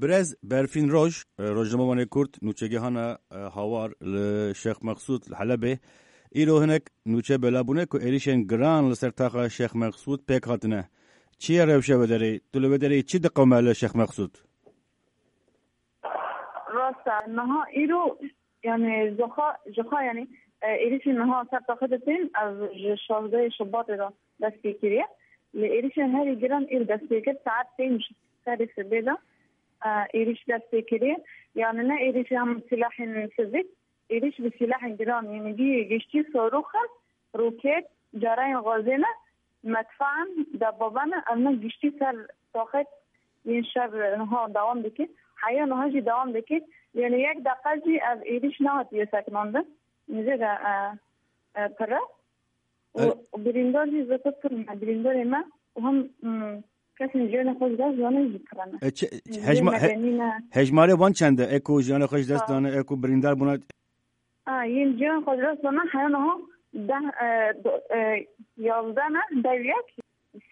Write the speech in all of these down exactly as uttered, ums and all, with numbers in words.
Birêz Berfîn Roj, e, rojnamevanê Kurd, nûçegihana, e, Hawar li Şêx Meqsûd li Helebê. Îro hinek nûçe bela bûne ku êrîşên giran li ser taxa Şêx Meqsûd pêk hatine. Çi ye rewşa wê derê? Tu li wê derê çi diqewime li Şêx Meqsûd? Rast e, niha îro, yani, joxa, joxa, yani, e, êrîşên niha ser taxê de tên, ev ji şazdehê Şubatê de dest pê kiriye. Lê êrîşên herî giran îro dest pê kir, saet pênc serê sibê de, e, êrîş dest pê kiriye. Yani, ne êrîşê hem silahên sivîl, êrîş bi silahên giran, yani, bî giştî soroxan, roket, carayên gazê ne, medfan, debaba ne, ev ne giştî ser taxet yên şer niha dewam dike. Heya niha jî dewam dike. Yani yek deqa jî ev êrîş nehatiye sekinandin. Nizê de, e, e, pir e. Û, E- û birîndar jî zêde pir ne. Birîndarê me û hem, hmm, kesên jiyanê xwe ji dest dane jî pir ne. E, çi-, Nizê hejma-, he-, medenî ne. Hejmarê wan çend e? Ê ku jiyanê xwe ji dest Ha. dane, ê ku birîndar bûne? A, yên ciyan xwe ji dest dana heya niha deh, e, do-, e, yazdeh ne, dev yek,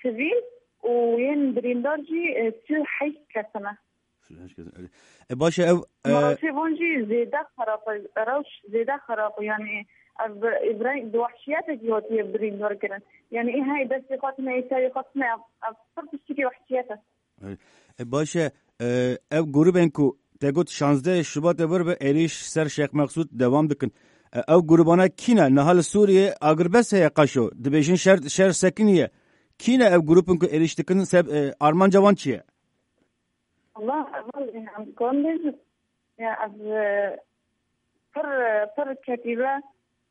sivîl û yên birîndar jî, e, sî û heşt kes ne. Sî û heşt kes, erê. E, baş e, ev, e, Rewşê van jî zêde xerab e, rewş zêde xerab e, yani ev bi, bi reng bi wehşiyetekî hatiye birîndar kirin. Yani ê hey destê xwe tine, ê serê xwe tine, ev, ev pir tiştekî wehşiyet e. E, baş e, e, ev grûbên ku te got şazdeh Şubatê vir bi êrîş ser Şêx Meqsûd dewam dikin. E, ev grûbana kî ne? Niha li Sûriyê agirbest heye qaşo. Dibêjin şer, şer sekiniye. Kî ne ev grûbin ku êrîş dikin? Seb-, e, armanca wan çi ye? Allah, Allah, em kon bêjin. Ya, ev, e, pir, pir ketîbe,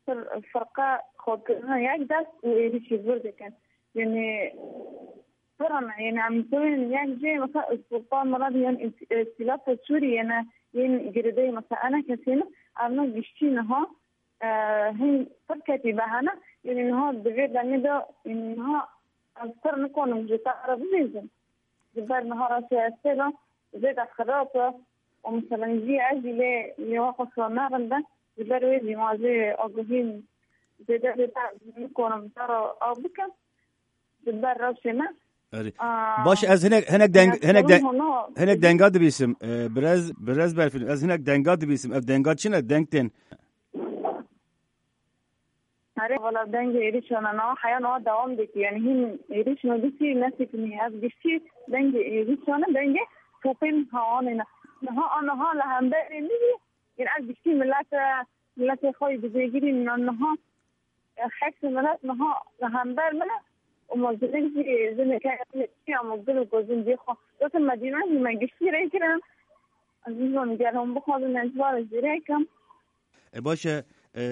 pir firqa xwe kirine yek dest û êrîşî vir dikin. Yani, pir in, yani, em bibin yek cê, mesela, Sultan Murad, yani, îs-, îstîlafa Sûriyê ne, yên girêdayî, mesela, ene kesê ne, ev ne giştî niha, e, hin pir ketîbe hene, yani, niha di vê demê de, yani, niha ez pir nikonim ji te re bibêjim. Ji ber niha re siyasê de zêde xirab e û, mesela, jî ez jî lê lêwa xwe sor naxim de, ji ber wê jî ma jê agahî zêde zêde nikonim te re av bikim. Ji ber rewşê me. Erê. Aa, Baş, ez hinek, hinek deng-, ya, hinek sorun de-, hona hinek denga dibîsim. E, birez, birez Berfîn, ez hinek denga dibîsim. Ev denga çi ne? Deng tên. Erê, valla dengê êrîşana niha heya niha dewam dike. Yani hîn êrîş nodîsî nesekiniye. Ev giştî dengê êrîşana, dengê topên hawanê ne. Niha a niha li hemberê min jî, yani ev giştî milete, miletê xwe yî bi jêgirî niha, e, hesê milet niha li hember min e. Û me jinik jî, jineke ya me gul û gozin dî xwe. Weke Medîne jî me giştî rê kirin. Ez nizanim gel hûn bixwazin ez ji wan re jî rê kim. E, baş e, e,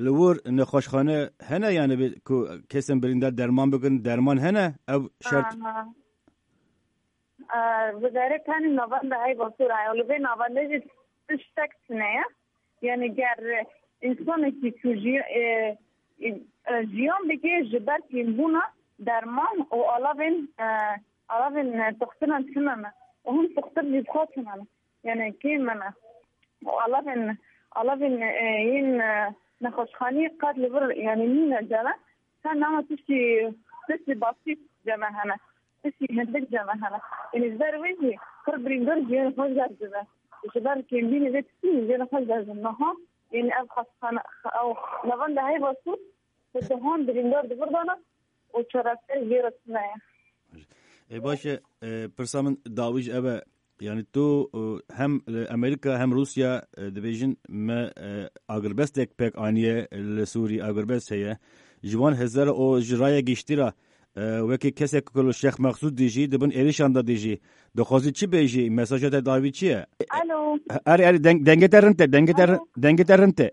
li wir nexweşxane hene, yani bi-, ku kesên birîndar derman bigirin, derman hene? Ev şert. Aha. E, bi derê tenê navenda heyva sor heye. Li vê navendê jî tiştek tune ye. Yani ger însanekî ku jî, e, e, jiyan bike ji ber kêmbûna derman û alavên, e, alavên, e, toxtinan tune ne. Û hûn toxtir jî bi xwe tune ne. Yani kêm me ne. Û alavên, alavên, e, yên, e, nexweşxanî qet li vir, yani nîne cere. Sen nama tiştî, tiştî basît ceme hene. Tiştî hindik ceme hene. Yani ji ber wê jî pir birîndar jiyana xwe ji dest dibe. Ji ber kêmbînê vê tiştî jiyana xwe ji dest dibe. Niha, yani ev xwestxane, ew navenda heyva sor, bi dehan birîndar di vir de ne û çareser jê re tune ye. Ê, baş e, e, pirsa min dawî jî ev e. Yani tu, e, hem li Amerîka hem Rûsya, e, dibêjin me, e, agirbestek pêk aniye li Sûrî, agirbest heye. Ji wan hizar û ji raya giştî re, e, wekî kesek ku li Şêx Meqsûd dijî, di bin êrîşan de dijî. Dixwazî çi bêjî? Mesaja te dawî çi ye? Alo. Erê, erê, deng-, dengê te rind e, dengê te ri-, Alo. dengê te rind e.